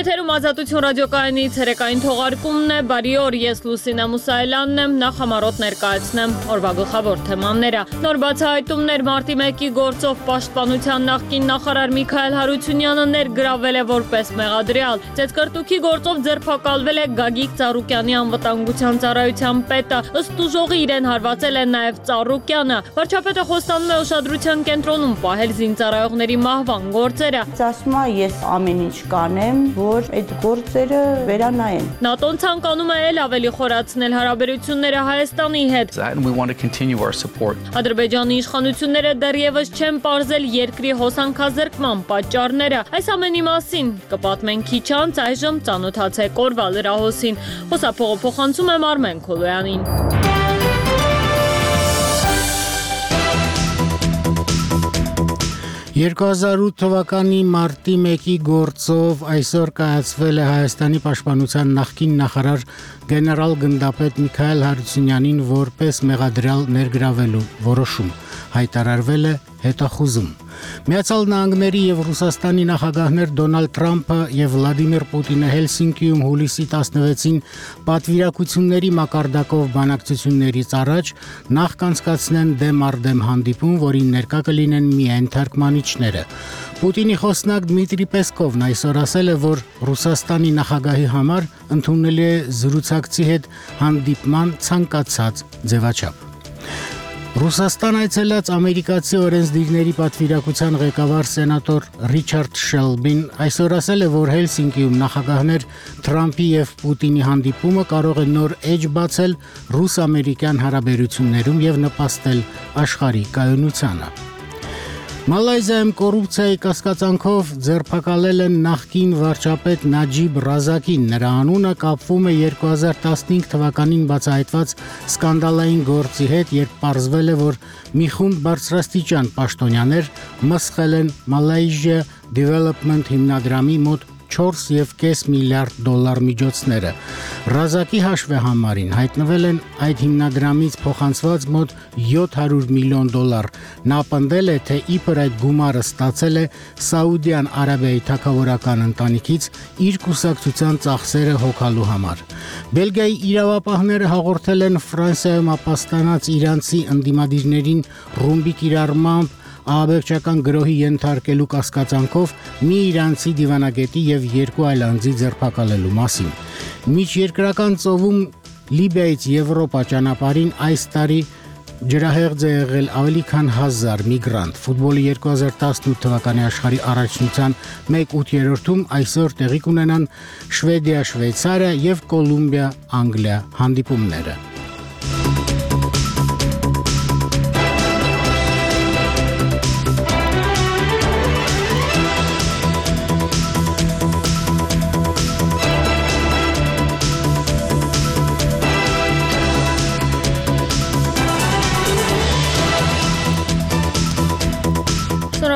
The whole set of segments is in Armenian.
Եթերում Ազատություն ռադիոկայանի ցերեկային թողարկումն է, բարի օր, ես Լուսինե Մուսայելյանն եմ, նախ համառոտ ներկայացնեմ օրվա գլխավոր թեմաները։ Նոր բացահայտումներ մարտի 1-ի գործով Պաշտպանության նախկին նախարար Միքայել Հարությունյանը ներգրավել է որպես մեղադրյալ։ Ծեծկրտուքի գործով ձերբակալվել է Գագիկ Ծառուկյանի անվտանգության ծառայության պետը, ըստ ուժողի իրեն հարվածել է նաև Ծառուկյանը։ Վարչապետը խոստանում է ուշադրության կենտրոնում պահել զինծառայողների մահվան գործերը։ Ասում եմ, ես ամեն ինչ կանեմ, որ այդ գործերը վերանայեն։ ՆԱՏՕ-ն ցանկանում է ել ավելի խորացնել հարաբերությունները Հայաստանի հետ։ Ադրբեջանի իշխանությունները դեռևս չեն պարզել երկրի հոսանքազրկման պատճառները։ Այս ամենի մասին կպատմենք քիչ անց, այժմ ծանոթացեք օրվա լրահոսին։ Խոսափողը փոխանցում եմ Արմեն Քոլոյանին։ 2008 թվականի մարտի 1-ի գործով այսօր կայացվել է Հայաստանի պաշտպանության նախկին նախարար գեներալ գնդապետ Միքայել Հարությունյանին որպես մեղադրյալ ներգրավելու որոշում, հայտարարվել է հետախուզում։ Միացյալ Նահանգների եւ Ռուսաստանի նախագահներ Դոնալդ Թրամփը եւ Վլադիմիր Պուտինը Հելսինկիում հուլիսի 16-ին պատվիրակությունների մակարդակով բանակցություններից առաջ նախ կանցկացնեն դեմ առ դեմ հանդիպում, որին ներկա կլինեն միայն թարգմանիչները։ Պուտինի խոսնակ Դմիտրի Պեսկովն այսօր ասել է, որ Ռուսաստանի նախագահի համար ընդունելի է զրուցակցի հետ հանդիպման ցանկացած ձևաչափ։ Ռուսաստան այցելած ամերիկացի օրենսդիրների պատվիրակության ղեկավար սենատոր Ռիչարդ Շելբին այսօր ասել է, որ Հելսինկիում նախագահներ Թրամփի եւ Պուտինի հանդիպումը կարող է նոր էջ բացել ռուս-ամերիկյան հարաբերություններում եւ նպաստել աշխարհի կայունությանը։ Մալայզիայում կոռուպցիայի կասկածանքով ձերբակալել են նախկին վարչապետ Նաջիբ Ռազակին։ Նրա անունը կապվում է 2015 թվականին բացահայտված սկանդալային գործի հետ, երբ պարզվել է, որ մի խումբ բարձրաստիճան պաշտոնյաներ մսխել են Malaysia Development հիմնադրամի մոտ 4.5 միլիարդ դոլար միջոցները։ Ռազակի հաշվեհամարին հայտնվել են այդ հիմնադրամից փոխանցված մոտ 700 միլիոն դոլար։ Նա պնդել է, թե իբր այդ գումարը ստացել է Սաուդյան Արաբիայի թագավորական ընտանիքից իր կուսակցության ծախսերը հոգալու համար։ Բելգիայի իրավապահները հաղորդել են Ֆրանսիայում ապաստանած իրանցի ընդդիմադիրներին ռումբի կիրառմամբ ահաբեկչական գրոհի ենթարկելու կասկածանքով մի իրանցի դիվանագետի եւ 2 այլ անձի ձերբակալելու մասին։ Միջերկրական ծովում Լիբիայից Եվրոպա ճանապարհին այս տարի ջրահեղձ է եղել ավելի քան 1000 միգրանտ։ Ֆուտբոլի 2018 թվականի աշխարհի առաջնության 1/8-ում այսօր տեղի կունենան Շվեդիա-Շվեյցարիա եւ Կոլումբիա-Անգլիա հանդիպումները։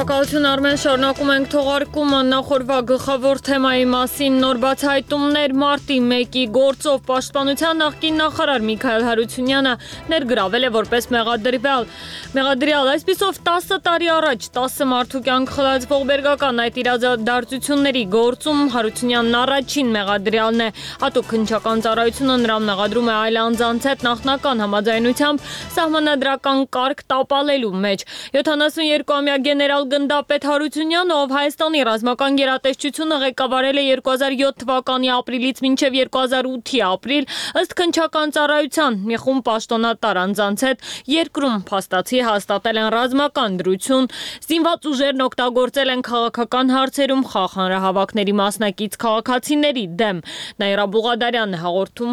Շնորհակալություն Արմեն, շարունակում ենք թողարկումը նախորդ գլխավոր թեմայի մասին։ Նոր բացահայտումներ մարտի 1-ի գործով Պաշտպանության նախկին նախարար Միքայել Հարությունյանը ներգրավել է որպես մեղադրյալ։ Այսպիսով 10 տարի առաջ 10 մարդու կյանք խլացվող բերգական այդ իրադարձությունների գործում Հարությունյանն առաջին մեղադրյալն է։ Հատուկ քննչական ծառայությունը նրան մեղադրում է այլ անձանց հետ նախնական համաձայնությամբ սահմանադրական կարգ տապալելու մեջ։ 72-ամյա գեներալ գնդապետ Հարությունյանը, ով Հայաստանի ռազմական գերատեսչությունը ղեկավարել է 2007 թվականի ապրիլից մինչև 2008-ի ապրիլ, ըստ քննչական ծառայության մի խումբ պաշտոնատար անձանց հետ երկրում փաստացի հաստատել են ռազմական դրություն, զինված ուժերն օգտագործել են քաղաքական հարցերում խաղ հանրահավաքների մասնակից քաղաքացիների դեմ։ Նաիրա Բուղադարյանն է հաղորդում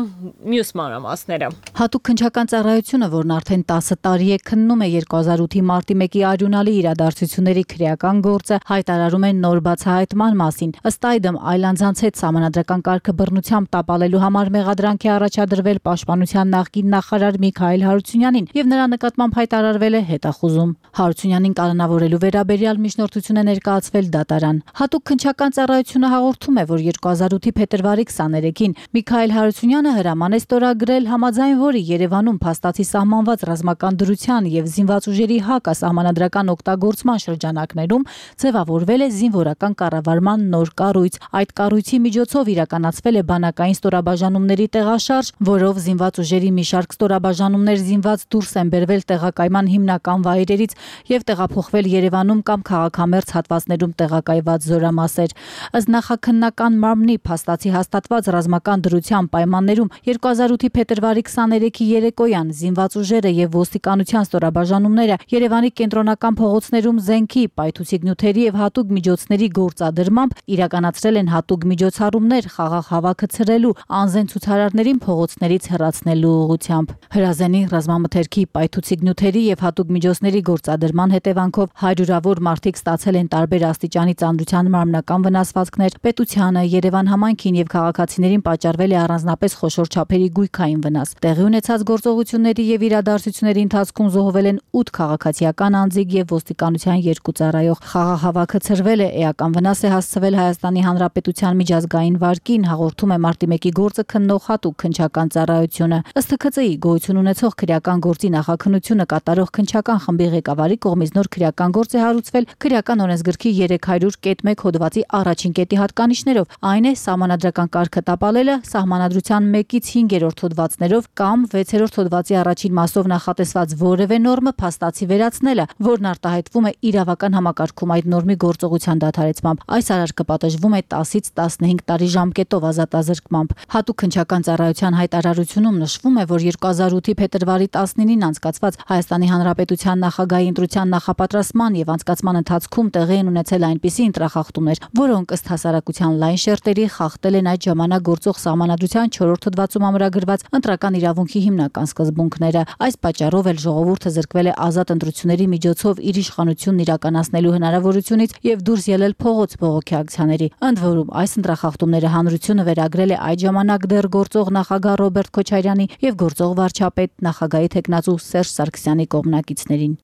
մյուս մանրամասները։ Հատուկ քննչական ծառայությունը, որն արդեն 10 տարի է քննում է 2008-ի մարտի 1-ի արյունալի իրադարձությունների քրեական գործը, հայտարարում են նոր բացահայտման մասին։ Ըստ այդմ այլ անձանց հետ սահմանադրական կարգը բռնությամբ տապալելու համար մեղադրանք է առաջադրվել Պաշտպանության նախկին նախարար Միքայել Հարությունյանին եւ նրա նկատմամբ հայտարարվել է հետախուզում։ Հարությունյանին կալանավորելու վերաբերյալ միջնորդություն է ներկայացվել դատարան։ Հատուկ քննչական ծառայությունը հաղորդում է, որ 2008-ի փետրվարի 23-ին Միքայել Հարությունյանը հրաման է ստորագրել, համաձայն որի Երևանում փաստացի սահմանված ռազմական դրության եւ զինված ուժերի հակասահմանադրական օգտագործման շրջանակներում ձևավորվել է զինվորական կառավարման նոր կառույց։ Այդ կառույցի միջոցով իրականացվել է բանակային ստորաբաժանումների տեղաշարժ, որով զինված ուժերի մի շարք ստորաբաժանումներ զինված դուրս են բերվել տեղակայման հիմնական վայրերից եւ տեղափոխվել Երևանում կամ քաղաքամերձ հատվածներում տեղակայված զորամասեր։ Ըստ նախաքննական մարմնի փաստացի հաստատված ռազմական դրության պայմաններում 2008-ի փետրվարի 23-ի երեկոյան զինված ուժերը եւ ոստիկանության ստորաբաժանումները Երևանի կենտրոնական փողոցներում զենքի, պայթուցիկ նյութերի եւ հատուկ միջոցների գործադրմամբ իրականացրել են հատուկ միջոցառումներ խաղաղ հավաքը ցրելու, անզեն ցուցարարներին փողոցներից հեռացնելու ուղղությամբ։ Հրազենի ռազմամթերքի, պայթուցիկ նյութերի եւ հատուկ միջոցների գործադրման հետևանքով հարյուրավոր մարդիկ ստացել են տարբեր աստիճանի ծանրության մարմնական վնասվածքներ։ Պետությանը, Երևան համայնքին եւ քաղաքացիներին պատճառվել է առանձնապես խոշոր չափերի գույքային վնաս։ Տեղի ունեցած գործողությունների եւ իրադարձությունների ընթացքում զոհվել են 8 քաղաքացիական անձիկ եւ ոստիկանության 2 ծառայող։ Խաղաղ հավաքը ցրվել է, էական վնաս է հասցվել Հայաստանի Հանրապետության միջազգային վարկին, հաղորդում է Մարտի 1-ի գործը քննող հատուկ քննչական ծառայությունը։ Ըստ ՀՔԾ-ի գոյություն ունեցող քրեական գործի նախաքննությունը կատարող քննչական խմբի ղեկավարի կողմից նոր քրեական գործ է հարուցվել քրեական օրենսգրքի 300.1 հոդվածի առաջին կետի հատկանիշներով, այն է սահմանադրական կարգը տապալելը, սահմանադրության 1-ից 5-րդ հոդվածներով կամ 6-րդ հոդվածի առաջին մասով նախատեսված որևէ նորմը փաստացի վերացնելը, որն արտահայտվում է իրավական համակարգում այդ նորմի գործողության դադարեցմամբ։ Այս արարքը պատժվում է 10-ից 15 տարի ժամկետով ազատազրկմամբ։ Հատուկ քննչական ծառայության հայտարարությունում նշվում է, որ 2008-ի փետրվարի 19-ին անցկացված Հայաստանի Հանրապետության նախագահի ընտրության նախապատրաստման եւ անցկացման ընթացքում տեղի են ունեցել այնպիսի ընտրախախտումներ, որոնք ըստ հասարակության լայն շերտերի խախտել են այդ ժամանակ գործող սահմանադրության 4-րդ հոդվածում ամրագրված ընտրական իրավունքի հիմնական սկզբունքները։ Այս պատճառով էլ ժողովուրդը զրկվել է ազատ ընտրությունների միջոցով իր իշխանությունն իրականացնելու հնարավորությունից եւ դուրս ելել փողոց բողոքի ակցիաների։ Ընդ որում, այս ընտրախախտումները հանրությունը վերագրել է այդ ժամանակ դեռ գործող նախագահ Ռոբերտ Քոչարյանի եւ գործող վարչապետ նախագահի թեկնածու Սերժ Սարգսյանի կողմնակիցներին։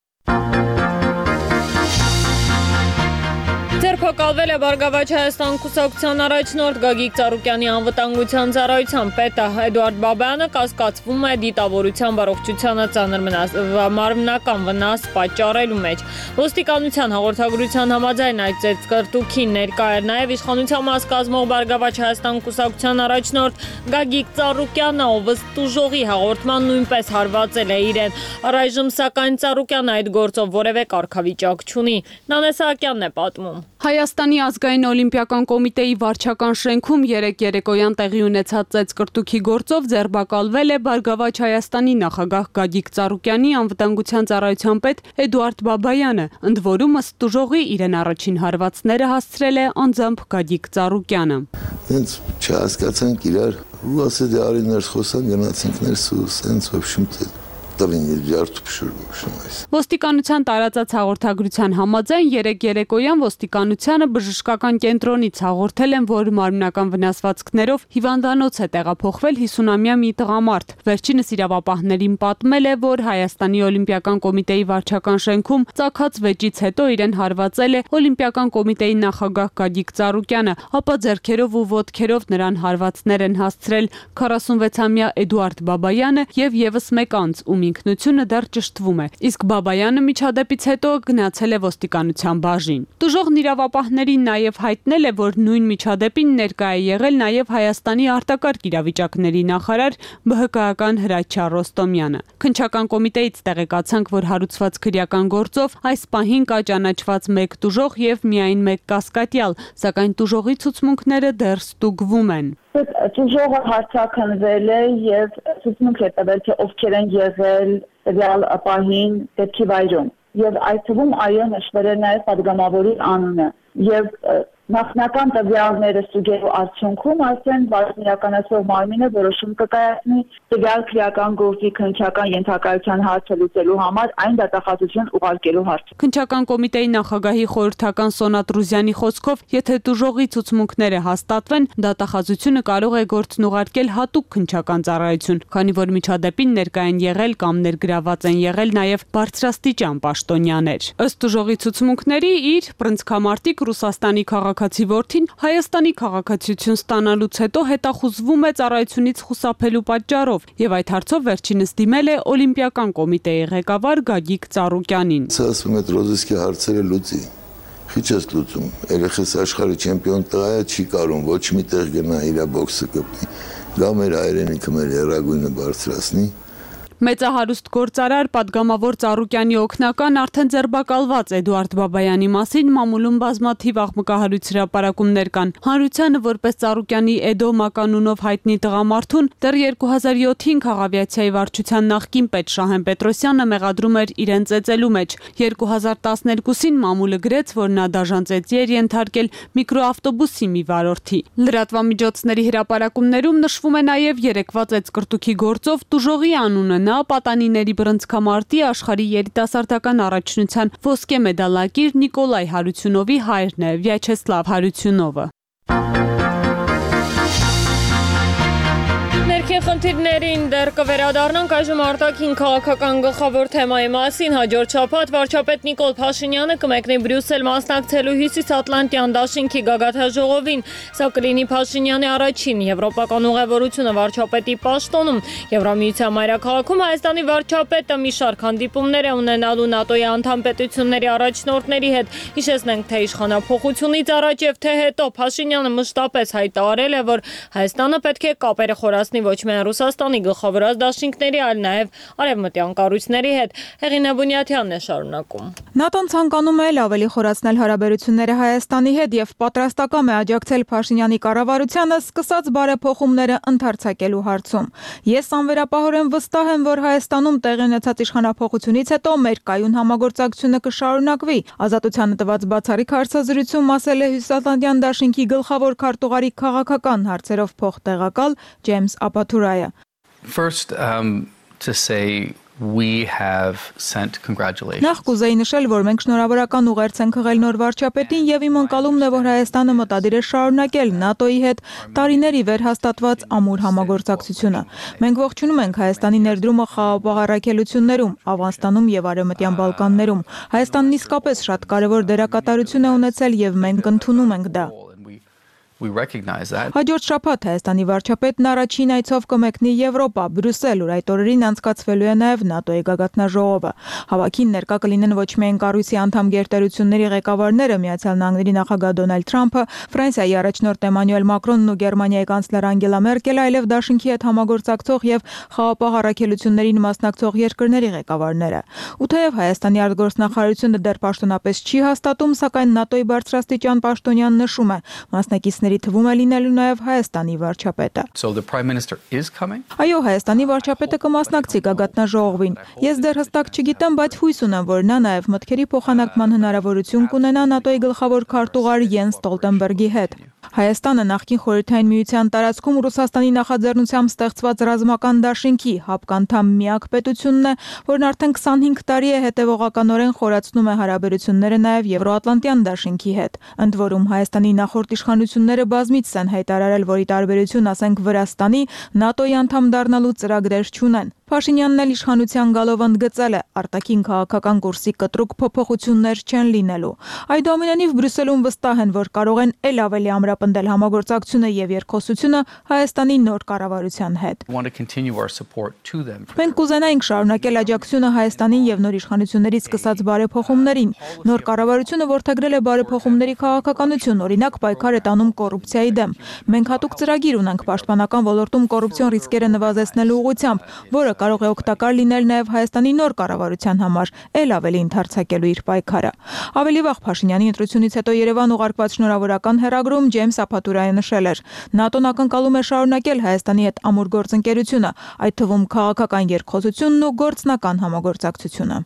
Ձերբակալվել է Բարգավաճ Հայաստան կուսակցության առաջնորդ Գագիկ Ծառուկյանի անվտանգության ծառայության պետը Էդուարդ Բաբայանը կասկածվում է դիտավորության առողջությանը ծանր մարմնական վնաս պատճառելու մեջ։ Ոստիկանության հաղորդագրության համաձայն այդ ծեծկռտուքին ներկա էր նաև իշխանության մաս կազմող Բարգավաճ Հայաստան կուսակցության առաջնորդ Գագիկ Ծառուկյանը, ով ըստ ուժողի հաղորդման նույնպես հարվածել է իրեն։ Առայժմ սակայն Ծառուկյանը այդ գործով որևէ կարգավիճակ չունի։ Նանե Սահակյանն է պատմում։ Հայաստանի ազգային օլիմպիական կոմիտեի վարչական շենքում երեկոյան տեղի ունեցած ծեծկռտուքի գործով ձերբակալվել է Բարգավաճ Հայաստանի նախագահ Գագիկ Ծառուկյանի անվտանգության ծառայության պետ Էդուարդ Բաբայանը, ընդ որում ըստ ուժողի իրեն առաջին հարվածները հասցրել է անձամբ Գագիկ Ծառուկյանը։ Հենց չհասկացանք իրար ու ասել դե արի ներս խոսան գնացինք ներս ու սենց ոբշում Ոստիկանության տարածած հաղորդագրության համաձայն երեկոյան ոստիկանությանը բժշկական կենտրոնից հաղորդել են, որ մարմնական վնասվածքներով հիվանդանոց է տեղափոխվել 50-ամյա մի տղամարդ։ Վերջինս իրավապահներին պատմել է, որ Հայաստանի օլիմպիական կոմիտեի վարչական շենքում ծագած վեճից հետո իրեն հարվածել է օլիմպիական կոմիտեի նախագահ Գագիկ Ծառուկյանը, ապա ձեռքերով ու ոտքերով նրան հարվածներ են հասցրել 46-ամյա Էդուարդ Բաբայանը եւ եւս մեկ անձ, ում ինքնությունը դեռ ճշտվում է։ Իսկ Բաբայանը միջադեպից հետո գնացել է ոստիկանության բաժին։ Տուժողն իրավապահներին նաև հայտնել է, որ նույն միջադեպին ներկա է եղել նաև Հայաստանի արտակարգ իրավիճակների նախարար ԲՀԿ-ական Հրաչյա Ռոստոմյանը։ Քննչական կոմիտեից տեղեկացանք, որ հարուցված քրեական գործով այս պահին կա ճանաչված մեկ տուժող եւ միայն մեկ կասկատյալ, սակայն տուժողի ցուցմունքները դեռ ստուգվում են։ Տուժողը հարցաքննվել է եւ ցուցմունք է տվել, թե ովքեր են եղել տվյալ պահին դեպքի վայրում։ Եվ այդ թվում այո նշվել է նաեւ պատգամավորի անունը եւ նախնական տվյալները ստուգելու արդյունքում արդեն իրականացող մարմինը որոշում կկայացնի տվյալ քրեական գործի քննչական ենթակայության հարցը լուծելու համար այն դատախազություն ուղարկելու հարցը։ Քննչական կոմիտեի նախագահի խորհրդական Սոնա Տրուզյանի խոսքով, եթե տուժողի ցուցմունքները հաստատվեն, դատախազությունը կարող է գործն ուղարկել հատուկ քննչական ծառայություն, քանի որ միջադեպին ներկա են եղել կամ ներգրաված են եղել նաև բարձրաստիճան պաշտոնյաներ։ Ըստ տուժողի ցուցմունքների իր պրնցքամարտիկ Ռուսաստանի քաղաքացի որդին Հայաստանի քաղաքացիություն ստանալուց հետո հետախուզվում է ծառայությունից խուսափելու պատճառով եւ այդ հարցով վերջինս դիմել է Օլիմպիական կոմիտեի ղեկավար Գագիկ Ծառուկյանին։ Ասում է ռոզիսկի հարցերը լուծի։ Քիչ ես լուծում։ Երեխես աշխարհի չեմպիոն տղա է, չի կարող ոչ մի տեղ գնա իր բոքսը կպնի։ Գա մեր հայրենիքը մեր հերագույնը բարձրացնի։ Մեծահարուստ գործարար պատգամավոր Ծառուկյանի օգնական արդեն ձերբակալված Էդուարդ Բաբայանի մասին մամուլում բազմաթիվ աղմկահարույց հրապարակումներ կան։ Հանրությանը որպես Ծառուկյանի Էդո մականունով հայտնի տղամարդուն դեռ 2007-ին քաղավիացիայի վարչության նախկին պետ Շահեն Պետրոսյանը մեղադրում էր իրեն ծեծելու մեջ։ 2012-ին մամուլը գրեց, որ նա դաժան ծեծի էր ենթարկել միկրոավտոբուսի մի վարորդի։ Լրատվամիջոցների հրապարակումներում նշվում է նաև երեկվա ծեծկրտուքի գործով տուժողի անունը։ Նա պատանիների բռնցքամարտի աշխարհի երիտասարդական առաջնության ոսկե մեդալակիր Նիկոլայ Հարությունովի հայրն է, Վյաչեսլավ Հարությունովը։ Ներքին խնդիրներին դեռ կվերադառնանք այժմ արտաքին քաղաքական գլխավոր թեմայի մասին։ Հաջորդ շաբաթ վարչապետ Նիկոլ Փաշինյանը կմեկնի Բրյուսել մասնակցելու Հյուսիսատլանտյան դաշինքի գագաթնաժողովին։ Սա կլինի Փաշինյանի առաջին եվրոպական ուղևորությունը վարչապետի պաշտոնում։ Եվրամիության մայրաքաղաքում Հայաստանի վարչապետը մի շարք հանդիպումներ է ունենալու ՆԱՏՕ-ի անդամ պետությունների առաջնորդների հետ։ Հիշեցնենք, թե իշխանափոխությունից առաջ եւ թե հետո Փաշինյանը մշտապես հայտարարել է, որ Հայաստանը պետք է կապերը խորացնի ոչ միայն Ռուսաստանի գլխավորած դաշինքների, այլ նաև արևմտյան կառույցների հետ։ Հեղինե Բունյաթյանն է շարունակում։ ՆԱՏՕ-ն ցանկանում է ավելի խորացնել հարաբերությունները Հայաստանի հետ եւ պատրաստակամ է աջակցել Փաշինյանի կառավարությանը սկսած բարեփոխումները ընդարձակելու հարցում։ Ես անվերապահորեն վստահ եմ, որ Հայաստանում տեղի ունեցած իշխանափոխությունից հետո մեր կայուն համագործակցությունը կշարունակվի։ Ազատությանը տված բացառիկ հարցազրույցում ասել է Հյուսիսատլանտյան դաշինքի գլխավոր քարտուղարի քաղաքական հարցերով փոխտեղակալ Ջեյմս Ապաթուրայը։ First, to say we have sent congratulations. Նախ կուզեի նշել, որ մենք շնորհավորական ուղերձ ենք հղել նոր վարչապետին եւ իմ ընկալումն է, որ Հայաստանը մտադիր է շարունակել ՆԱՏՕ-ի հետ տարիների վեր հաստատված ամուր համագործակցությունը։ Մենք ողջունում ենք Հայաստանի ներդրումը խաղաղ առաքելություններում, Աֆղանստանում եւ Արևմտյան Բալկաններում։ Հայաստանն իսկապես շատ կարեւոր դերակատարություն է ունեցել եւ մենք ընդունում ենք դա։ We recognize that. Հաջորդ շաբաթ Հայաստանի վարչապետն առաջին այցով կմեկնի Եվրոպա, Բրյուսել, ուր այդ օրերին անցկացվելու է նաև ՆԱՏՕ-ի գագաթնաժողովը։ Հավաքին ներկա կլինեն ոչ միայն կառույցի անդամ գերտերությունների ղեկավարները, Միացյալ Նահանգների նախագահ Դոնալդ Թրամփը, Ֆրանսիայի առաջնորդ Էմանուել Մակրոնն ու Գերմանիայի կանցլեր Անգելա Մերկելը, այլև դաշինքի հետ համագործակցող եւ խաղաղ առաքելություններին մասնակցող երկրների ղեկավարները։ Ու թեև Հայաստանի արտգործնախարարությունը դեռ պաշտոնապես չի հաստատում, սակայն ՆԱՏՕ-ի բարձրաստիճան պաշտոնյան նշում է մասնակիցների թվում է լինելու նաև Հայաստանի վարչապետը։ So the Prime Minister is coming? Այո, Հայաստանի վարչապետը կմասնակցի գագաթնաժողովին։ Ես դեռ հստակ չգիտեմ, բայց հույս ունեմ, որ նա նաև մտքերի փոխանակման հնարավորություն կունենա ՆԱՏՕ-ի գլխավոր քարտուղար Յենս Ստոլտենբերգի հետ։ Հայաստանը նախկին Խորհրդային Միության տարածքում Ռուսաստանի նախաձեռնությամբ ստեղծված ռազմական դաշինքի հապկանդամ միակ պետությունն է, որն արդեն 25 տարի է հետևողականորեն խորացնում է հարաբերությունները նաև Եվրոատլանտյան դաշինքի հետ։ Ընդ որում Հայաստանի նախորդ իշխանությունները բազմիցս են հայտարարել, որ ի տարբերություն, ասենք, Վրաստանի, ՆԱՏՕ-ի անդամ դառնալու ծրագրեր չունեն։ Փաշինյանն էլ իշխանության գալով ընդգծել է, արտաքին քաղաքական կուրսի կտրուկ փոփոխություններ չեն լինելու։ Այդուամենայնիվ Բրյուսելում վստահ են, որ կարող են ել ավելի ամրապնդել համագործակցությունը եւ երկխոսությունը Հայաստանի նոր կառավարության հետ։ Մենք կուզենայինք շարունակել աջակցությունը Հայաստանին եւ նոր իշխանություններից սկսած բարեփոխումներին։ Նոր կառավարությունը որդեգրել է բարեփոխումների քաղաքականություն, օրինակ պայքար է տանում կոռուպցիայի դեմ։ Մենք հատուկ ծրագիր ունենք պաշտպանական ոլորտում կոռուպցիոն ռիսկերը նվազեցնելու ուղղությամբ, որը կարող է օգտակար լինել նաև Հայաստանի նոր կառավարության համար, ել ավելի ընդարձակելու իր պայքարը։ Ավելի վաղ Փաշինյանի ընտրությունից հետո Երևան ուղարկված շնորհավորական հեռագրում Ջեյմս Ապաթուրայը նշել էր. ՆԱՏՕ-ն ակնկալում է շարունակել Հայաստանի հետ ամուր գործընկերությունը, այդ թվում քաղաքական երկխոսությունն ու գործնական համագործակցությունը։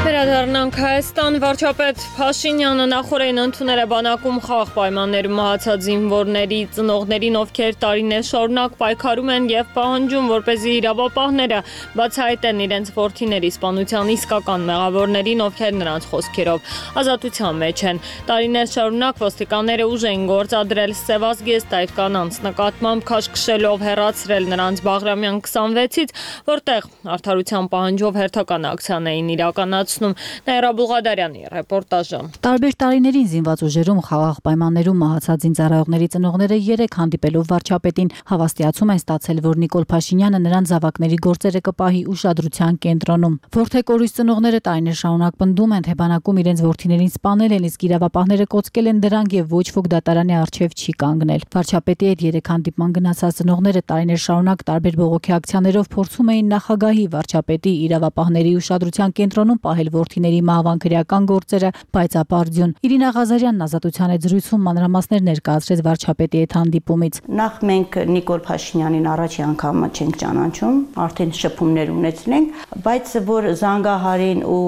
Վերադառնանք Հայաստան, վարչապետ Փաշինյանը նախորդին ընդունել է բանակում խաղաղ պայմաններում մահացած զինվորների ծնողներին, ովքեր տարիներ շարունակ պայքարում են եւ պահանջում, որպեսզի իրավապահները բացահայտեն իրենց որդիների սպանության իսկական մեղավորներին, ովքեր նրանց խոսքերով ազատության մեջ են։ Տարիներ շարունակ ոստիկանները ուժ էին գործադրել սևազգեստ այդ կանանց նկատմամբ, քաշքշելով հեռացրել նրանց Բաղրամյան 26-ից, որտեղ արդարության պահանջով հերթական ակցիան էին իրականացնում։ Նաիրա Բուղադարյանի ռեպորտաժը։ Տարբեր տարիներին զինված ուժերում խաղաղ պայմաններում մահացած զինծառայողների ծնողները 3 հանդիպելով վարչապետին հավաստիացում են ստացել, որ Նիկոլ Փաշինյանը նրանց զավակների գործերը կպահի ուշադրության կենտրոնում։ Որթեկորույս ծնողները տարիներ շարունակ պնդում են, թե բանակում իրենց որդիներին սպանել են, իսկ իրավապահները կոծկել են դրանք եւ ոչ ոք դատարանի առջեւ չի կանգնել։ Վարչապետի հետ 3 հանդիպման գնացած ծնողները տարիներ շարունակ տարբեր բողոքի ակցիաներով փորձում էին նախագահի, վարչապետի, իրավապահների ուշադրության կենտրոնում պահել որդիների մահվան քրեական գործերը, բայց ապարդյուն։ Իրինա Ղազարյանն Ազատության հետ զրույցում մանրամասներ ներկայացրեց վարչապետի հետ հանդիպումից։ Նախ մենք Նիկոլ Փաշինյանին առաջի անգամ չենք ճանաչում, արդեն շփումներ ունեցնենք, բայց որ զանգահարին ու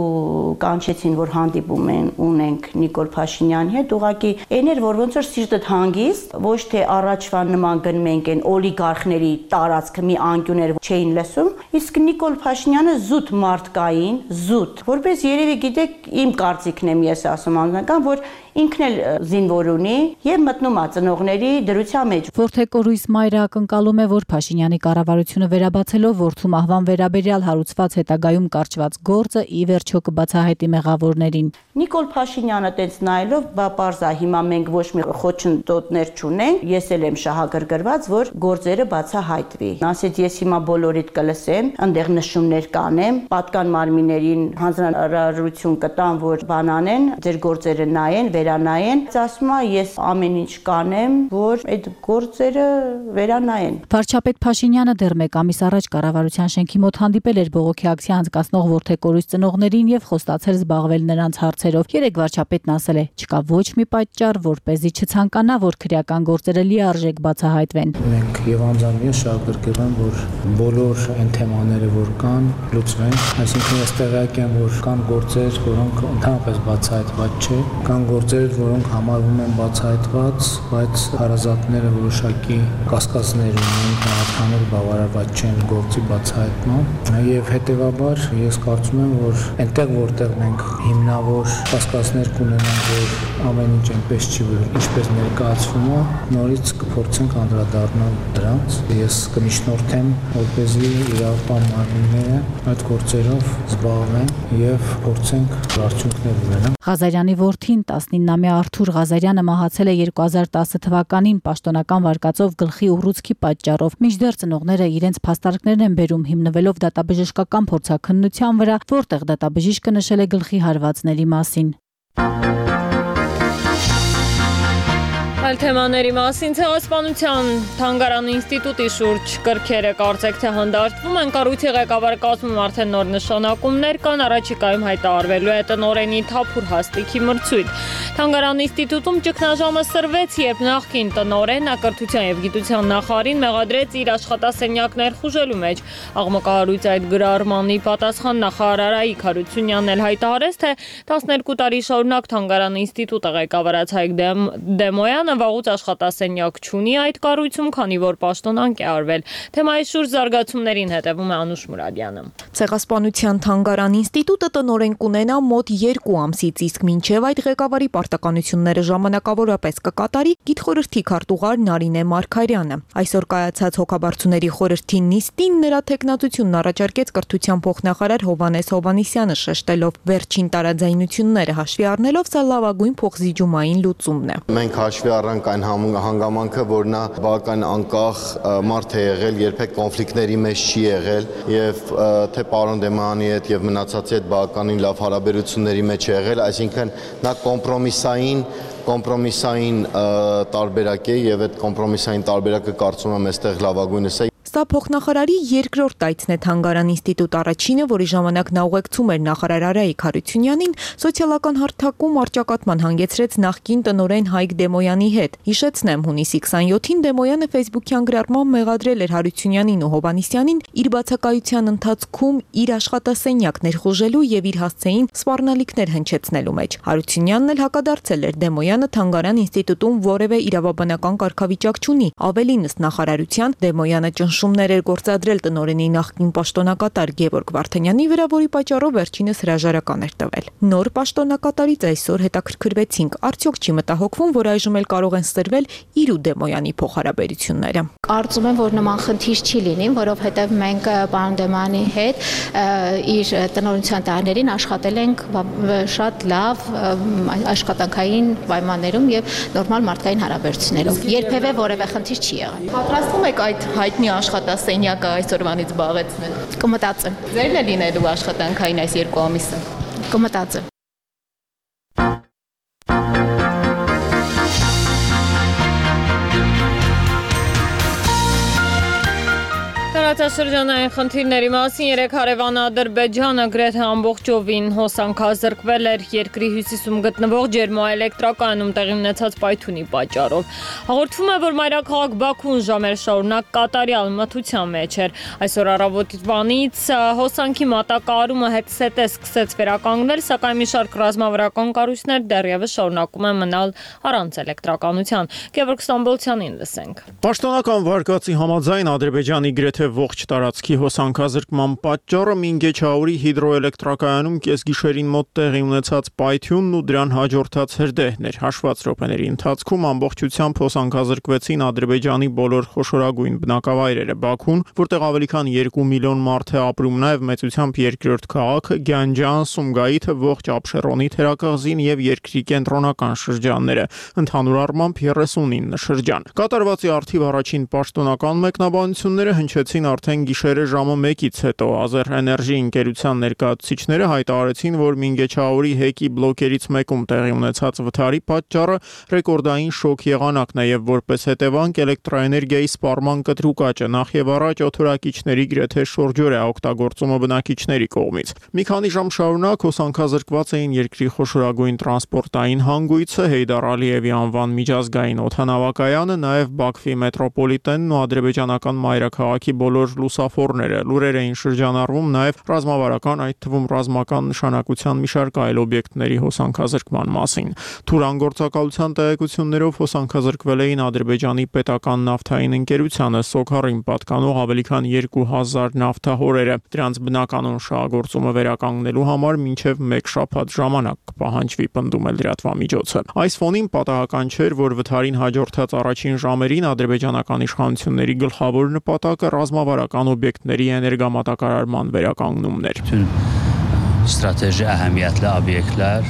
կանչեցին, որ հանդիպում ունենք Նիկոլ Փաշինյանի հետ, ուղղակի այն էր, որ ոնց որ սիրտդ հանգիստ, ոչ թե առաջվա նման գնում ենք այն օլիգարխների տարածքը մի անկյուն էր, չէին լսում, իսկ Նիկոլ Փաշինյանը զուտ մարդկային, զուտ, որպես երևի գիտեք, իմ կարծիքն եմ ես ասում անձնական, որ ինքն էլ զինվոր ունի եւ մտնում է ծնողների դրության մեջ։ Որթեկորույս մայրը ակնկալում է, որ Փաշինյանի կառավարությունը վերաբացելով որդու մահվան վերաբերյալ հարուցված հետագայում կարճված գործը ի վերջո կբացահայտի մեղավորներին։ Նիկոլ Փաշինյանը տենց նայելով, բա պարզա հիմա մենք ոչ մի խոչընդոտներ չունենք, ես էլ եմ շահագրգռված, որ գործերը բացահայտվի։ Ասեց ես հիմա բոլորիդ կլսեմ, այնտեղ նշումներ կանեմ, պատկան մարմիններին հանձնարարություն կտամ, որ բանանեն, ձեր գործերը նայեն, վերանայեն, ասում է ես ամեն ինչ կանեմ, որ այդ գործերը վերանայեն։ Վարչապետ Փաշինյանը դեռ 1 ամիս առաջ կառավարության շենքի մոտ հանդիպել էր բողոքի ակցիա անցկացնող որթեկորույս ծնողներին եւ խոստացել զբաղվել նրանց հարցերով։ Երեք վարչապետն ասել է, չկա ոչ մի պատճառ, որպեսզի չցանկանա, որ քրեական գործերը լիարժեք բացահայտվեն։ Մենք եւ անձամբ ես շահագրգռում եմ, որ բոլոր այն թեմաները, որ կան, լուծվեն, այսինքն ես տեղյակ եմ, որ կան գործեր, որոնք ընդհանրապես բացահայտված չէ, կան գործեր, որոնք համարվում են բացահայտված, բայց հարազատները որոշակի կասկածներ ունեն, քաղաքներ բավարարված չեն գործի բացահայտման եւ հետեւաբար ես կարծում եմ, որ այնտեղ որտեղ մենք հիմնավոր կասկածներ կունենանք, որ ամեն ինչ այնպես չի, որ ինչպես ներկայացվում է, նորից կփորձենք անդրադառնալ դրանց։ Ես կմիշնորհեմ, որպեսզի իրավապահ մարմինները այդ գործերով զբաղվեն եւ փորձենք արդյունքներ ունենալ։ Ղազարյանի որդին 19-ամյա Արթուր Ղազարյանը մահացել է 2010 թվականին պաշտոնական վարկածով գլխի ուռուցքի պատճառով։ Մինչդեռ ծնողները իրենց փաստարկներն են բերում հիմնվելով դատաբժշկական փորձաքննության վրա, որտեղ դատաբժիշկը նշել է գլխի հարվածների մասին։ Այլ թեմաների մասին Ցեղասպանության թանգարան ինստիտուտի շուրջ կրքերը կարծեք թե հանդարտվում են, կառույցի ղեկավարը կազմում արդեն նոր նշանակումներ կան, առաջիկայում հայտարարվելու է տնօրենի Թափուր Հաստիքի մրցույթ։ Թանգարան ինստիտուտում ճգնաժամը սրվեց, երբ նախկին տնօրենը կրթության եւ գիտության նախարարին մեղադրեց իր աշխատասենյակներ խուժելու մեջ։ Աղմկահարույց այդ գրառմանի պատասխան նախարար Արայիկ Հարությունյանն էլ հայտարարեց, թե 12 տարի շարունակ թանգարան ինստիտուտը ղեկավարած Հայկ Դեմոյանը վաղուց աշխատասենյակ չունի այդ կառույցում, քանի որ պաշտոնանկ է արվել։ Թեմայի շուրջ զարգացումներին հետևում է Անուշ Մուրադյանը։ Ցեղասպանության թանգարան ինստիտուտը տնօրեն կունենա մոտ 2 ամսից, իսկ մինչև այդ ղեկավարի պարտականությունները ժամանակավորապես կկատարի գիտխորհրդի քարտուղար Նարինե Մարգարյանը։ Այսօր կայացած հոգաբարձուների խորհրդի նիստին նրա թեկնածությունն առաջարկեց կրթության փոխնախարար Հովհաննես Հովհաննիսյանը, շեշտելով վերջին տարաձայնությունները հաշվի առնելով սա լավագույն փոխզիջումային լուծումն է։ Մենք հաշվի առանք այն հանգամանքը, որ նա բավական անկախ մարդ է եղել, երբեք կոնֆլիկտների մեջ չի եղել եւ թե պարոն Դեմոյանի հետ եւ մնացածի հետ բավականին լավ հարաբերությունների մեջ է եղել, այսինքն նա կոմպրոմիսային տարբերակ է եւ այդ կոմպրոմիսային տարբերակը կարծում եմ այստեղ լավագույնս է։ Սա փոխնախարարի երկրորդ տայցն է թանգարան ինստիտուտ առաջինը, որի ժամանակ նա ուղեկցում էր նախարար Արայիկ Հարությունյանին, սոցիալական հարթակում առճակատման հանգեցրեց նախկին տնօրեն Հայկ Դեմոյանի հետ։ Հիշեցնեմ, հունիսի 27-ին Դեմոյանը Facebook-յան գրառմամբ մեղադրել էր Հարությունյանին ու Հովհաննիսյանին իր բացակայության ընթացքում իր աշխատասենյակներ խուժելու եւ իր հասցեին սպառնալիքներ հնչեցնելու մեջ։ Հարությունյանն էլ հակադարձել էր Դեմոյանը թանգարան ինստիտուտում որևէ իրավաբանական կարգավիճակ չունի, ավելին ըստ նախարարության Դեմոյանը ճնշումներ էր գործադրել տնօրենի նախկին պաշտոնակատար Գևորգ Վարդանյանի վրա, որի պատճառով վերջինս հրաժարական էր տվել։ Նոր պաշտոնակատարից այսօր հետաքրքրվեցինք, արդյոք չի մտահոգվում, որ այժմ էլ կարող են սրվել իր ու Դեմոյանի փոխհարաբերությունները։ Կարծում եմ, որ նման խնդիր չի լինի, որովհետև մենք պարոն Դեմոյանի հետ իր տնօրինության տարիներին աշխատել ենք շատ լավ աշխատանքային պայմաններում եւ նորմալ մարդկային հարաբերություններով։ Երբևէ որևէ խնդիր չի եղել։ Պատրաստվում եք այդ հայտնի աշխատասենյակը այսօրվանից զբաղեցնել։ Կմտածեմ։ Ձերն է լինելու աշխատանքային այս 2 ամիսը։ Կմտածեմ։ Տարածաշրջանային խնդիրների մասին երեք հարևան Ադրբեջանը գրեթե ամբողջովին հոսանքազրկվել էր երկրի հյուսիսում գտնվող ջերմոէլեկտրակայանում տեղի ունեցած պայթյունի պատճառով։ Հաղորդվում է, որ մայրաքաղաք Բաքուն ժամեր շարունակ կատարյալ մթության մեջ էր։ Այսօր առավոտվանից հոսանքի մատակարարումը հետսետե սկսեց վերականգնել, սակայն մի շարք ռազմավարական կառույցներ դեռևս շարունակում են մնալ առանց էլեկտրականության։ Գևորգ Ստամբոլցյանին լսենք։ Պաշտոնական վարկածի համաձայն Ադրբեջանի գրեթե ողջ տարածքի հոսանքազրկման պատճառը Մինգեչաուրի հիդրոէլեկտրակայանում կեսգիշերին մոտ տեղի ունեցած պայթյունն ու դրան հաջորդած հրդեհն էր։ Հաշված րոպեների ընթացքում ամբողջությամբ հոսանքազրկվեցին Ադրբեջանի բոլոր խոշորագույն բնակավայրերը։ Բաքուն, որտեղ ավելի քան 2 միլիոն մարդ է ապրում, նաև մեծությամբ երկրորդ քաղաքը, Գյանջան, Սումգայիթը, ողջ Աբշերոնի թերակղզին եւ երկրի կենտրոնական շրջանները, ընդհանուր առմամբ 39 շրջան։ Կատարվածի արդիվ առաջին պաշտոնական մեկնաբանությունները հնչեցին արդեն գիշերը ժամը 1-ից հետո։ Ազերէներժի ընկերության ներկայացուցիչները հայտարարեցին, որ Մինգեչաուրի հեկի բլոկերից մեկում տեղի ունեցած վթարի պատճառը ռեկորդային շոկ եղանակն է եւ որպես հետևանք էլեկտրաէներգիայի սպառման կտրուկ աճը նախ եւ առաջ օդորակիչների գրեթե շուրջօրյա օգտագործումը բնակիչների կողմից։ Մի քանի ժամ շարունակ հոսանքազրկված էին երկրի խոշորագույն տրանսպորտային հանգույցը, Հեյդար Ալիևի անվան միջազգային օդանավակայանը, նաեւ Բաքվի մետրոպոլիտենն ու ադրբեջանական մայրաքաղաքի բոլոր լուսափորները։ Լուրեր էին շրջանառվում նաև ռազմավարական, այդ թվում ռազմական նշանակության մի շարք այլ օբյեկտների հոսանքազրկման մասին։ Թուրան գործակալության տեղեկություններով հոսանքազրկվել էին Ադրբեջանի պետական նավթային ընկերությանը Սոքարին պատկանող ավելի քան 2000 նավթահորերը։ Դրանց բնականon շահագործումը վերականգնելու համար մինչև 1 շաբաթ ժամանակ կպահանջվի, պնդում է լրատվամիջոցը։ Այս ֆոնին պատահական չէր, որ վթարին հաջորդած առաջին ժամերին ադրբեջանական իշխանությունների գլխավոր նպատակը ռազմավարական օբյեկտների էներգամատակարարման վերականգնումն էր։ Strateji əhəmiyyətli obyektlər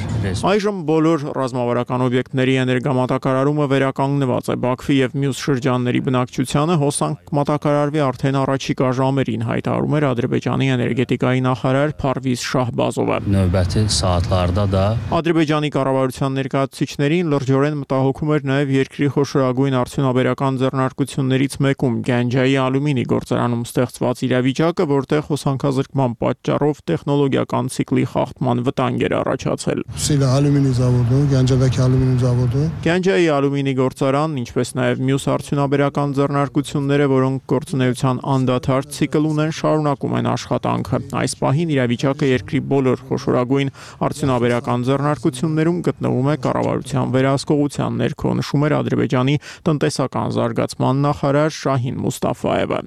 Այժմ բոլոր ռազմավարական օբյեկտների էներգամատակարարումը վերականգնված է։ Բաքվի եւ մյուս շրջանների բնակչությանը հոսանք մատակարարվի արդեն առաջիկա ժամերին, հայտարարում էր Ադրբեջանի էներգետիկայի նախարար Փարվիզ Շահբազովը։ Növbəti saatlarda da Ադրբեջանի կառավարության ներկայացուցիչներին լրջորեն մտահոգում էր նաեւ երկրի խոշորագույն արդյունաբերական ձեռնարկություններից մեկում Գանջայի ալյումինի գործարանում ստեղծված իրավիճակը, որտեղ հոսանքազրկման պատճառով տեխնոլոգիական ցիկլի խախտման վտանգ էր առաջացել։ Գանջայի ալյումինի գործարանն, ինչպես նաև մյուս արդյունաբերական ձեռնարկությունները, որոնք գործունեության անդադար ցիկլ ունեն, շարունակում են աշխատանքը։ Այս պահին իրավիճակը երկրի բոլոր խոշորագույն արդյունաբերական ձեռնարկություններում գտնվում է կառավարության վերահսկողության ներքո, նշում էր Ադրբեջանի տնտեսական զարգացման նախարար Շահին Մուստաֆայևը։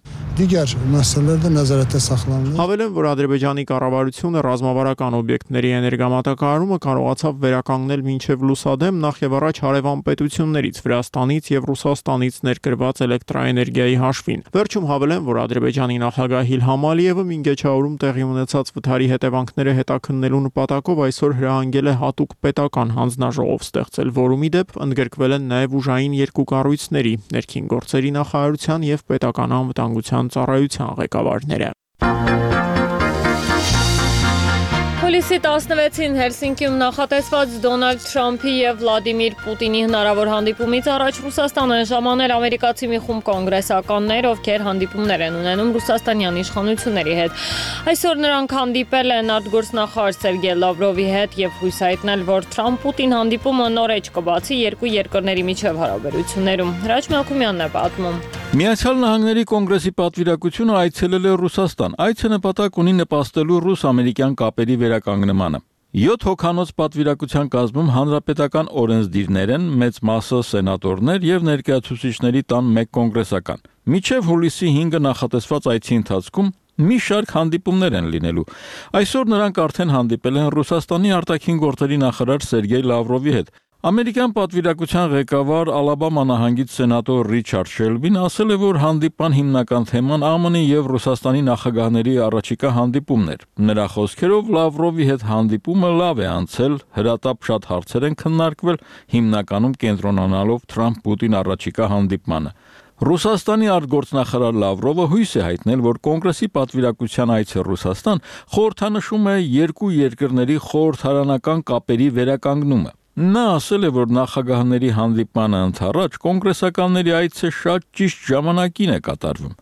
Հավելեմ, որ Ադրբեջանի կառավարությունը ռազմավարական օբյեկտների էներգամատակարարումը կարողացավ վերականգնել մինչև լուսադեմ նախ եւ առաջ հարևան պետություններից Վրաստանից եւ Ռուսաստանից ներկրված էլեկտրաէներգիայի հաշվին։ Վերջում հավելեմ, որ Ադրբեջանի նախագահ Իլհամ Ալիևը Մինգեչաուրում տեղի ունեցած վթարի հետևանքները հետաքննելու նպատակով այսօր հրահանգել է հատուկ պետական հանձնաժողով ստեղծել, որում ի դեպ ընդգրկվել են նաեւ ուժային երկու կառույցների՝ ներքին գործերի նախարարության եւ պետական անվտանգության ծառայության ղեկավարները։ Հուլիսի 16-ին Հելսինկիում նախատեսված Դոնալդ Թրամփի եւ Վլադիմիր Պուտինի հնարավոր հանդիպումից առաջ Ռուսաստան են ժամանել ամերիկացի մի խումբ կոնգրեսականներ, ովքեր հանդիպումներ են ունենում ռուսաստանյան իշխանությունների հետ։ Այսօր նրանք հանդիպել են արտգործնախարար Սերգեյ Լավրովի հետ եւ հույս հայտնել, որ Թրամփ-Պուտին հանդիպումը նոր էջ կբացի երկու երկրների միջև հարաբերություններում։ Հրաչ Մելքումյանն է պատմում։ Միացյալ Նահանգների կոնգրեսի պատվիրակությունը այցելել է Ռուսաստան։ Այցը նպատակ ունի նպաստելու ռուս-ամերիկյան կապերի վերականգնմանը։ 7 հոգանոց պատվիրակության կազմում հանրապետական օրենսդիրներ են, մեծ մասը սենատորներ եւ ներկայացուցիչների տան 1 կոնգրեսական։ Մինչև հուլիսի 5-ը նախատեսված այցի ընթացքում մի շարք հանդիպումներ են լինելու։ Այսօր նրանք արդեն հանդիպել են Ռուսաստանի արտաքին գործերի նախարար Սերգեյ Լավրովի հետ։ Ամերիկյան պատվիրակության ղեկավար Ալաբամա նահանգից սենատոր Ռիչարդ Շելբին ասել է, որ հանդիպան հիմնական թեման ԱՄՆ-ի եւ Ռուսաստանի նախագահների առաջիկա հանդիպումն էր։ Նրա խոսքերով Լավրովի հետ հանդիպումը լավ է անցել, հրատապ շատ հարցեր են քննարկվել, հիմնականում կենտրոնանալով Թրամփ-Պուտին առաջիկա հանդիպմանը։ Ռուսաստանի արտգործնախարար Լավրովը հույս է հայտնել, որ կոնգրեսի պատվիրակության այցը Ռուսաստան խորհրդանշում է երկու երկրների խորհրդարանական կապերի վերականգնումը։ Նա ասել է, որ նախագահների հանդիպմանը ընդառաջ կոնգրեսականների այցը շատ ճիշտ ժամանակին է կատարվում։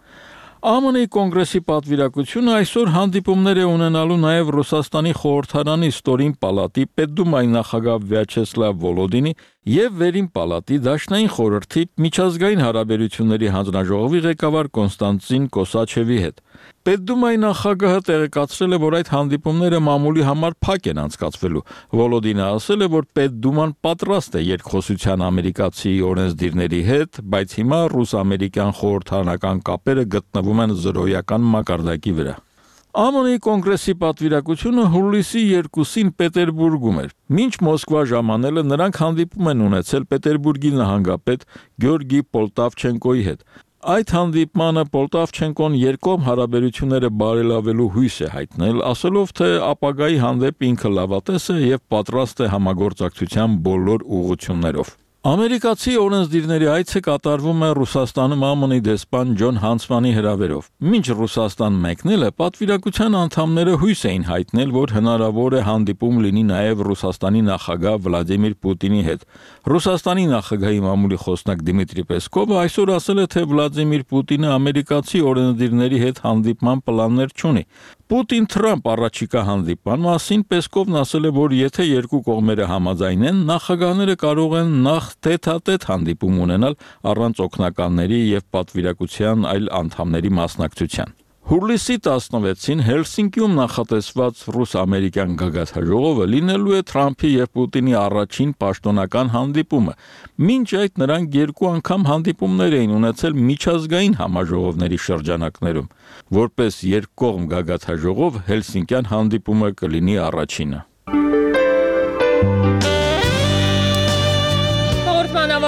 ԱՄՆ-ի կոնգրեսի պատվիրակությունը այսօր հանդիպումներ է ունենալու նաև Ռուսաստանի խորհրդարանի ստորին պալատի պետդումայի նախագահ Վյաչեսլավ Վոլոդինի եւ վերին պալատի դաշնային խորհրդի միջազգային հարաբերությունների հանձնաժողովի ղեկավար Կոնստանտին Կոսաչևի հետ։ Պետդումայի նախագահը տեղեկացրել է, որ այդ հանդիպումները մամուլի համար փակ են անցկացվելու։ Վոլոդինը ասել է, որ Պետդուման պատրաստ է երկխոսության ամերիկացի օրենսդիրների հետ, բայց հիմա ռուս-ամերիկյան խորհրդարանական կապերը գտնվում են զրոյական մակարդակի վրա։ ԱՄՆ-ի կոնգրեսի պատվիրակությունը հուլիսի 2-ին Պետերբուրգում էր։ Մինչ Մոսկվա ժամանելը նրանք հանդիպում են ունեցել Պետերբուրգի նահանգապետ Գյորգի Պոլտավչենկոյի հետ։ Այդ հանդիպմանը Պոլտավչենկոն երկկողմ հարաբերությունները բարելավելու հույս է հայտնել, ասելով, թե ապագայի հանդեպ ինքը լավատես է եւ պատրաստ է համագործակցության բոլոր ուղղություններով։ Ամերիկացի օրենսդիրների այցը կատարվում է Ռուսաստանում ԱՄՆ-ի դեսպան Ջոն Հանսմանի հրավերով։ Մինչ Ռուսաստան մեկնելը պատվիրակության անդամները հույս էին հայտնել, որ հնարավոր է հանդիպում լինի նաև Ռուսաստանի նախագահ Վլադիմիր Պուտինի հետ։ Ռուսաստանի նախագահի մամուլի խոսնակ Դիմիտրի Պեսկովը այսօր ասել է, թե Վլադիմիր Պուտինը ամերիկացի օրենսդիրների հետ հանդիպման պլաններ չունի։ Պուտին-Թրամփ առաջիկա հանդիպման մասին Պեսկովն ասել է, որ եթե երկու կողմերը համաձայնեն, նախագահները կարող են նախ տետ-ա-տետ հանդիպում ունենալ առանց օգնականների եւ պատվիրակության այլ անդամների մասնակցության։ Հուլիսի 16-ին Հելսինկիում նախատեսված ռուս-ամերիկյան գագաթնաժողովը լինելու է Թրամփի եւ Պուտինի առաջին պաշտոնական հանդիպումը։ Մինչ այդ նրանք երկու անգամ հանդիպումներ էին ունեցել միջազգային համաժողովների շրջանակներում։ Որպես երկկողմ գագաթնաժողով Հելսինկյան հանդիպումը կլինի առաջինը։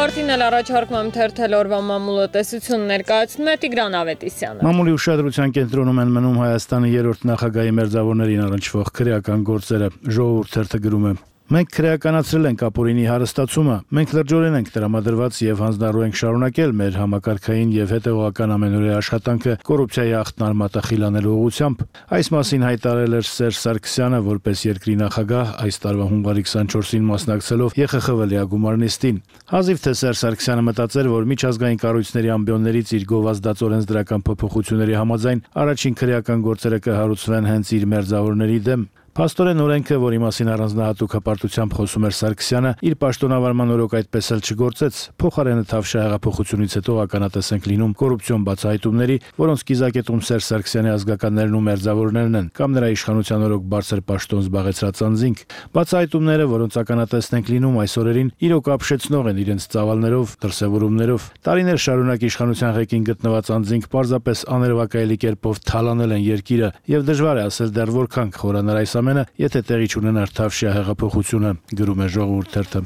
Ավարտին էլ առաջարկում եմ թերթել օրվա մամուլը տեսություն ներկայացնում է Տիգրան Ավետիսյանը։ Մամուլի ուշադրության կենտրոնում են մնում Հայաստանի 3-րդ նախագահի մերձավորներին առնչվող քրեական գործերը։ Ժողովուրդ թերթը գրում է. Մենք քրեականացրել ենք ապօրինի հարստացումը, մենք լրջորեն ենք տրամադրված եւ հանձնառու ենք շարունակել մեր համակարգային եւ հետեւողական ամենօրյա աշխատանքը կոռուպցիայի աղտն արմատախիլանելու ուղղությամբ։ Այս մասին հայտարարել էր Սերժ Սարգսյանը որպես երկրի նախագահ այս տարվա հունվարի 24-ին մասնակցելով ԵԽԽՎ լիագումար նիստին։ Հազիվ թե Սերժ Սարգսյանը մտածեր, որ միջազգային կառույցների ամբիոններից իր գովազդած օրենսդրական փոփոխությունների համաձայն առաջին քրեական գործերը կհարուցվեն հենց իր մերձավորների դեմ։ Փաստորեն օրենքը, որի մասին առանձնահատուկ հպարտությամբ խոսում էր Սարգսյանը, իր պաշտոնավարման օրոք այդպես էլ չգործեց։ Փոխարենը թավշյա հեղափոխությունից հետո ականատես ենք լինում կոռուպցիոն բացահայտումների, որոնց կիզակետում Սերժ Սարգսյանի ազգականներն ու մերձավորներն են, կամ նրա իշխանության օրոք բարձր պաշտոն զբաղեցրած անձինք։ Բացահայտումները, որոնց ականատեսն ենք լինում այս օրերին, իրոք ապշեցնող են իրենց ծավալներով, դրսևորումներով։ Տարիներ շարունակ իշխանության ղեկին գտնված անձինք պարզապես աներևակայելի կերպով թալանել են երկիրը, եւ դժվար է ասել դեռ որքան կխորանար այս ամենը, եթե տեղի չունենար թավշյա հեղափոխությունը, գրում է Ժողովուրդ թերթը։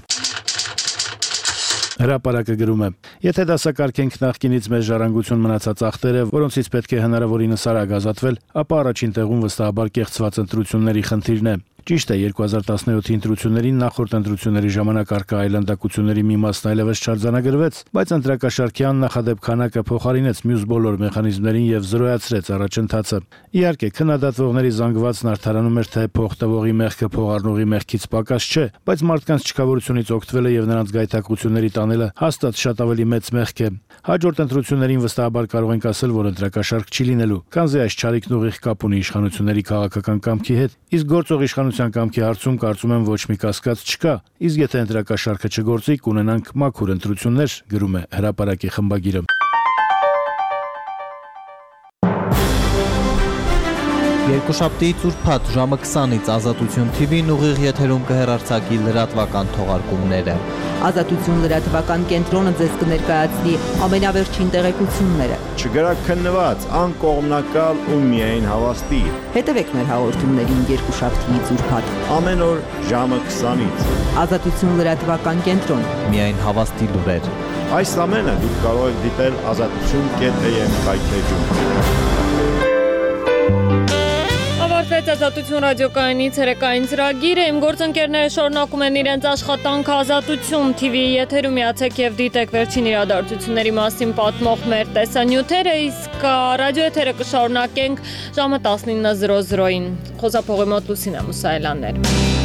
Հրապարակը գրում է. Եթե դասակարգենք նախկինից մեծ ժառանգություն մնացած ախտերը, որոնցից պետք է հնարավորինս արագ ազատվել, ապա առաջին տեղում վստահաբար կեղծված ընտրությունների խնդիրն է։ Ճիշտ է, 2017-ի ընտրություններին նախորդ ընտրությունների ժամանակ արկա այլանդակությունների մի մասն այլևս չարձանագրվեց, բայց ընտրակաշարքի աննախադեպ քանակը փոխարինեց մյուս բոլոր մեխանիզմներին եւ զրոյացրեց առաջընթացը։ Իհարկե, քննադատվողների զանգվածն արդարանում էր, թե փող տվողի մեղքը փող առնողի մեղքից պակաս չէ, բայց մարդկանց չքավորությունից օգտվելը եւ նրանց գայթակղությունների տանելը հաստատ շատ ավելի մեծ մեղք է։ Հաջորդ ընտրություններին վստահաբար կարող ենք ասել, որ ընտրակաշարք չի լինելու, քանզի այս չարիքն ուղիղ կապ ունի իշխանությունների քաղաքական կամքի հետ, իսկ գործող իշխանության կամքի հարցում կարծում եմ ոչ մի կասկած չկա, իսկ եթե ընտրակաշարքը չգործի, կունենանք մաքուր ընտրություններ, գրում է Հրապարակի խմբագիրը։ Երկուշաբթիից ուրբաթ ժամը 20-ից Ազատություն TV-ն ուղիղ եթերում կհեռարձակի լրատվական թողարկումները։ Ազատություն լրատվական կենտրոնը ձեզ կներկայացնի ամենավերջին տեղեկությունները։ Չգրաքննված, անկողմնակալ ու միայն հավաստի։ Հետևեք մեր հաղորդումներին երկուշաբթիից ուրբաթ ամեն օր ժամը 20-ից։ Ազատություն լրատվական կենտրոն, միայն հավաստի լուրեր։ Այս ամենը դուք կարող եք դիտել azatutun.am կայքեջում։ Ավարտվեց Ազատություն ռադիոկայանի ցերեկային ծրագիրը։ Իմ գործընկերները շարունակում են իրենց աշխատանքը Ազատություն TV-ի եթերում միացեք եւ դիտեք վերջին իրադարձությունների մասին պատմող մեր տեսանյութերը, իսկ ռադիոեթերը կշարունակենք ժամը 19:00-ին։ Խոսափողի մոտ Լուսինա Մուսայելյաններ։